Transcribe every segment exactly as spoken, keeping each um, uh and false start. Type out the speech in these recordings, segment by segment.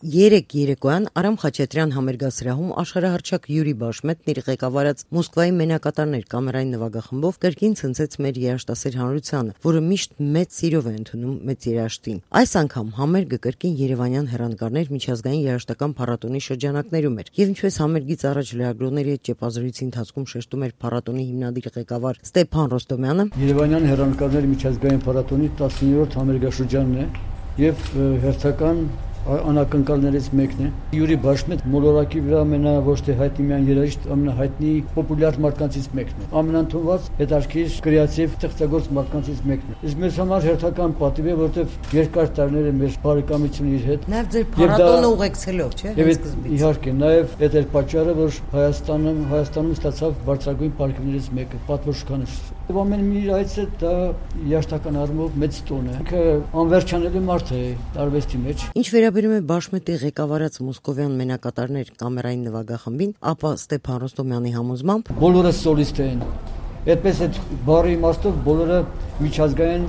Երեկ երեկոյան Արամ Խաչատրյան համերգասրահում աշխարհահռչակ Յուրի Բաշմետն իր ղեկավարած Մոսկվայի մենակատարներ կամերային նվագախմբով կրկին ցնցեց մեր երաժշտասեր հանրությանը, որը միշտ մեծ սիրով է ընդունում մեծ երաժշտին։ Այս անգամ համերգը կրկին երևանյան հեռանկարներ միջազգային երաժշտական փառատոնի շրջանակներում էր, եւ ինչպես համերգից առաջ լրագրողների հետ ճեպազրույցի ընթացքում շեշտում էր փառատոնի հիմնադիր ղեկավար Ստեփան Ռոստոմյանը, Երևանյան հեռանկարներ միջազգային փառատոնի տասնիններորդ համերգաշրջանն է եւ հերթական անակնկալներից մեկն է։ Յուրի Բաշմետ մոլորակի վրա ամենա ոչ թե հայտնի միայն երաժիշտ, ամենահայտնի պոպուլյար մարդկանցից մեկն է։ Ամենընդունված, հետաքրքիր, կրեատիվ, ստեղծագործ մարդկանցից մեկն է։ Իսկ մեզ համար հերթական պատիվ է, որովհետև երկար տարիներ է մեր բարեկամությունը իր հետ։ Նաև ձեր փառատոնը ուղեկցելով, չէ՞, հենց սկզբից։ Իհարկե, նաև այդ էր պատճառը, որ Հայաստանում Հայաստանում ստացավ բարձրագույն պարգևներից մեկը, պատվոշքանը։ Եվ ամեն մի այցը դա երաժշտական առումով մեծ տոն է։ Ինքը անվերջանելի մարդ է արվեստի մեջ։ Ինչ վերաբերում է Բաշմետի ղեկավարած մոսկովյան մենակատարներ կամերային նվագախմբին, ապա Ստեփան Ռոստոմյանի համոզմամբ բոլորը սոլիստ են։ Այդպես այդ բառի իմաստով բոլորը միջազգային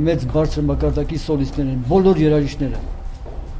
մեծ բարձր մակարդակի սոլիստներ են, բոլոր երաժիշտները։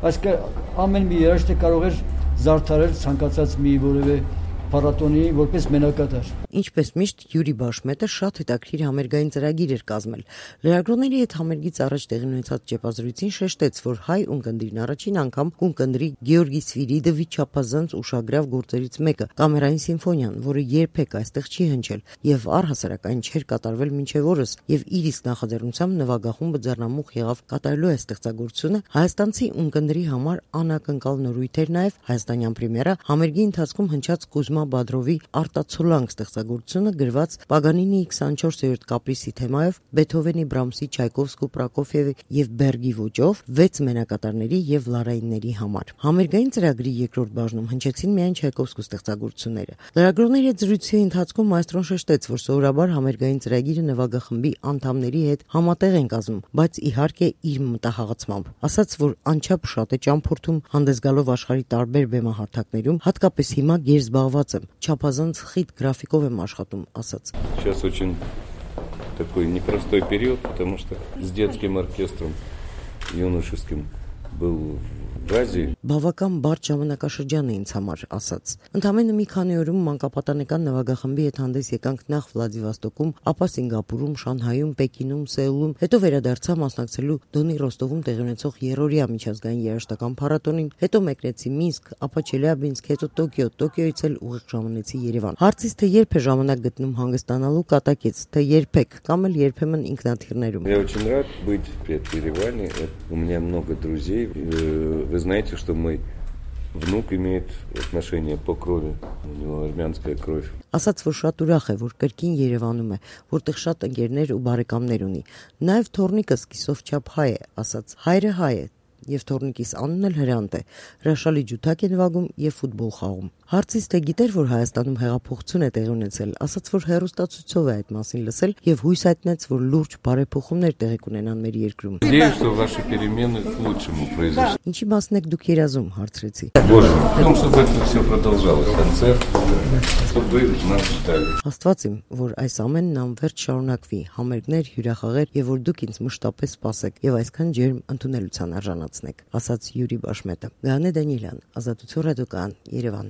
Այսինքն ամեն մի երաժիշտ կարող էր զարդարել ցանկացած մի որևէ փառատոնի որպես մենակատար։ Ինչպես միշտ Յուրի Բաշմետը շատ հետաքրքիր համերգային ծրագիր էր կազմել։ Լրագրողների հետ համերգից առաջ տեղի ունեցած ճեպազրույցին շեշտեց, որ հայ ունկնդիրն առաջին անգամ կունկնդրի Գեորգի Սվիրիդովի չափազանց ուշագրավ գործերից մեկը՝ կամերային սիմֆոնիան, որը երբեք այստեղ չի հնչել եւ առհասարակ այն չէր կատարվել մինչեւ օրս, եւ իր իսկ նախաձեռնությամբ նվագախումբը ձեռնամուխ եղավ կատարելու այս ստեղծագործությունը հայաստանցի ունկնդրի համար անակնկալ նորույթ էր նաեւ հայաստանյան պրեմիերա համերգի ընթացքում հնչած Կոզմա Բադրովի Արտացոլանք ստեղծագործությունը գրված Պագանինիի քսանչորսերորդ կապրիսի թեմայով Բեթհովենի, Բրամսի, Չայկովսկու, Պրոկոֆիևի եւ Բերգի ոճով վեց մենակատարների եւ լարայինների համար։ Համերգային ծրագրի երկրորդ բաժնում հնչեցին միայն Չայկովսկու ստեղծագործությունները։ Լրագրողների հետ զրույցի ընթացքում մայստրոն շեշտեց, որ սովորաբար համերգային ծրագիրը նվագախմբի անդամների հետ համատեղ են կազմում, բայց իհարկե իր մտահաղացմամբ։ Ասաց, որ անչափ շատ է ճամփորդում հանդես գալով աշխարհի տարբեր բեմահարթակներում, հատկապես հիմա գերզբաղված եմ, չափազանց խիտ գրաֆիկով եմ աշխատում, ասաց։ Сейчас очень такой непростой период, потому что с детским оркестром юношеским был в Азии. Բավական բարդ ժամանակաշրջան է ինձ համար, ասաց։ Ընդամենը մի քանի օրում մանկապատանեկան նվագախմբի հետ հանդես եկանք նախ Վլադիվոստոկում, ապա Սինգապուրում, Շանհայում, Պեկինում, Սեուլում, հետո վերադարձա մասնակցելու Դոնի Ռոստովում տեղի ունեցող երրորդյա միջազգային երաժշտական փառատոնին, հետո մեկնեցի Մինսկ, ապա Չելյաբինսկ, հետո Տոկիո, Տոկիոից էլ ուղիղ ժամանեցի Երևան։ Հարցից թե երբ է ժամանակ գտնում հանգստանալու, կատակեց, թե երբեք, կամ էլ երբեմն ինքնաթիռներում։ Я очень рад быть в Ереване. У меня много друзей. Вы знаете, что мой внук имеет отношение по крови. У него армянская кровь. Ասաց, որ շատ ուրախ է, որ կրկին Երևանում է, որտեղ շատ ընկերներ ու բարեկամներ ունի։ Նաև թոռնիկս կիսով չափ հայ է, ասաց։ Հայրը հայ է, եւ թոռնիկիս անունն էլ Հրանտ է։ Հրաշալի ջութակ է նվագում եւ ֆուտբոլ խաղում։ Հարցից թե գիտեր, որ Հայաստանում հեղափոխություն է տեղի ունեցել, ասաց, որ հեռուստացույցով է այդ մասին լսել եւ հույս հայտնեց, որ լուրջ բարեփոխումներ տեղի կունենան մեր երկրում։ Надеюсь, что ваши перемены к лучшему произошли. Ինչի մասն եք դուք երազում, հարցրեցի։ Боже мой, в том, чтобы это все продолжалось, концерт, чтобы вы нас ждали. Աստված իմ, որ այս ամենն անվերջ շարունակվի, համերգներ, հյուրախաղեր եւ որ դուք ինձ մշտապես սպասեք եւ այսքան ջերմ ընդունելության արժանացնեք, ասաց Յուրի Բաշմետը։ Գաներ Դանիելյան, Ազատություն ռադիոկայան, Երևան։